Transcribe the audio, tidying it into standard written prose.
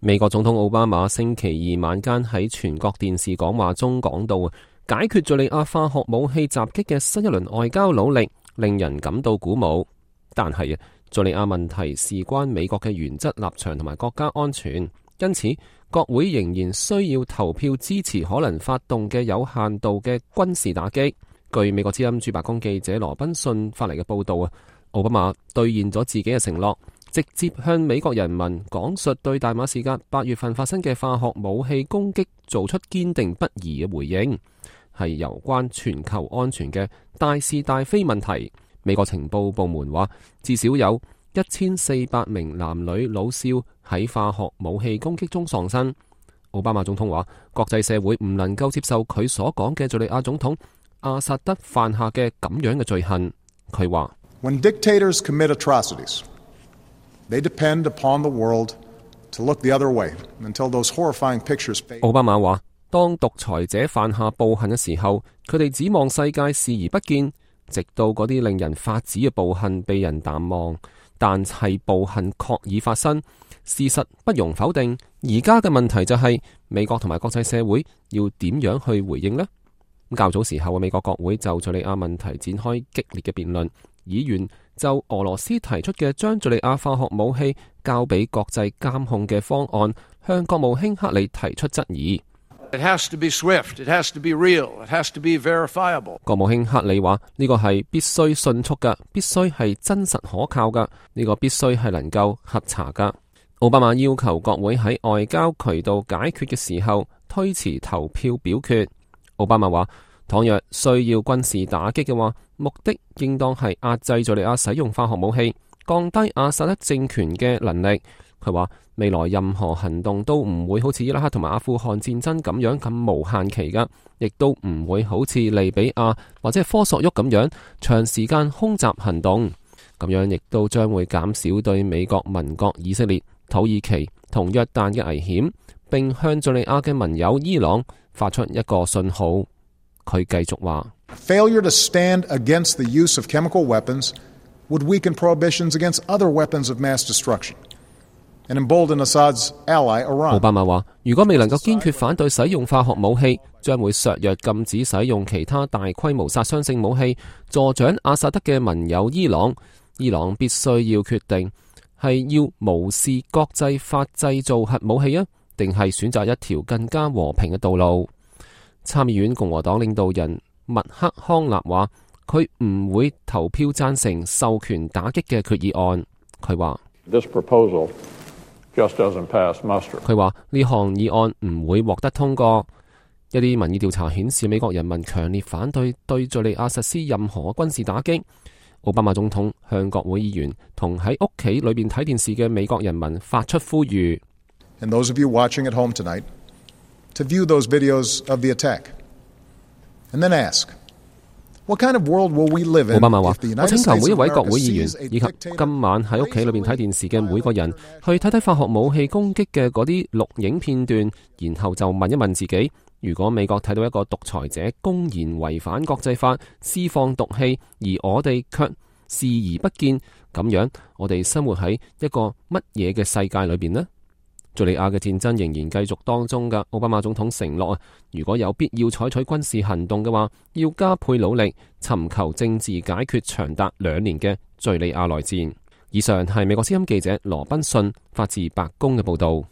美國總統奧巴馬星期二晚間喺全國電視講話中講到，解決敘利亞化學武器襲擊嘅新一輪外交努力令人感到鼓舞。但係敘利亞問題事關美國嘅原則立場同埋國家安全，因此國會仍然需要投票支持可能發動嘅有限度嘅軍事打擊。據美國之音駐白宮記者羅賓遜發嚟嘅報道，奧巴馬兌現咗自己嘅承諾，直接向美國人民講述對大馬士革8月份發生嘅化學武器攻擊做出堅定不移嘅回應，係有關全球安全嘅大是大非問題。美國情報部門話，至少有1400名男女老少喺化學武器攻擊中喪生。奧巴馬總統話，國際社會唔能夠接受佢所講嘅敘利亞總統阿薩德犯下嘅咁樣嘅罪行。佢話：When dictators commit atrocities, they depend upon the world to look the other way until those horrifying pictures fade. 奧巴馬話，當獨裁者犯下暴行嘅時候，佢哋指望世界視而不見，直到嗰啲令人髮指嘅暴行被人淡忘。但係暴行確已發生，事實不容否定。而家嘅問題就係美國同埋國際社會要點樣去回應呢？較早時候，美國國會就敘利亞問題展開激烈嘅辯論，議員就俄羅斯提出嘅將敘利亞化學武器交俾國際監控嘅方案，向國務卿克里提出質疑。It has to be swift, it has to be real, it has to be verifiable. 國務卿克里話：呢個係必須迅速嘅，必須係真實可靠嘅，呢個必須係能夠核查嘅。奧巴馬要求國會喺外交渠道解決嘅時候推遲投票表決。奧巴馬話：倘若需要軍事打擊嘅話，目的應當係壓制敘利亞使用化學武器，降低阿薩德政權嘅能力。佢話未來任何行動都唔會好似伊拉克同埋阿富汗戰爭咁樣咁無限期噶，亦都唔會好似利比亞或者科索沃咁樣長時間空襲行動。咁樣亦都將會減少對美國盟國以色列、土耳其同約旦嘅危險，並向敘利亞嘅盟友伊朗發出一個信號。佢繼續話：Failure to stand against the use of chemical weapons would weaken prohibitions against other weapons of mass destruction and embolden Assad's ally Iran. 奧巴馬話：如果未能夠堅決反對使用化學武器，將會削弱禁止使用其他大規模殺傷性武器，助長阿薩德嘅盟友伊朗。伊朗必須要決定係要無視國際法製造核武器啊，定係選擇一條更加和平嘅道路。參議院共和黨領導人麥克康納話：佢唔會投票贊成授權打擊嘅決議案。佢話佢話呢項議案唔會獲得通過。一啲民意調查顯示，美國人民強烈反對對敘利亞實施任何軍事打擊。奧巴馬總統向國會議員同喺屋企裏邊睇電視嘅美國人民發出呼籲。And those of you watching at home tonight, to view those videos of the attack, and then ask, what kind of world will we live in? 奧巴馬話：我請求每一位國會議員以及今晚喺屋企裏邊睇電視嘅每個人，去睇睇化學武器攻擊嘅嗰啲錄影片段，然後就問一問自己：如果美國睇到一個獨裁者公然違反國際法，施放毒氣，而我哋卻視而不見，咁樣我哋生活喺一個乜嘢嘅世界裏邊呢？敘利亞嘅戰爭仍然繼續當中㗎。奧巴馬總統承諾如果有必要採取軍事行動嘅話，要加倍努力尋求政治解決長達2年嘅敘利亞內戰。以上係美國之音記者羅賓遜發自白宮嘅報道。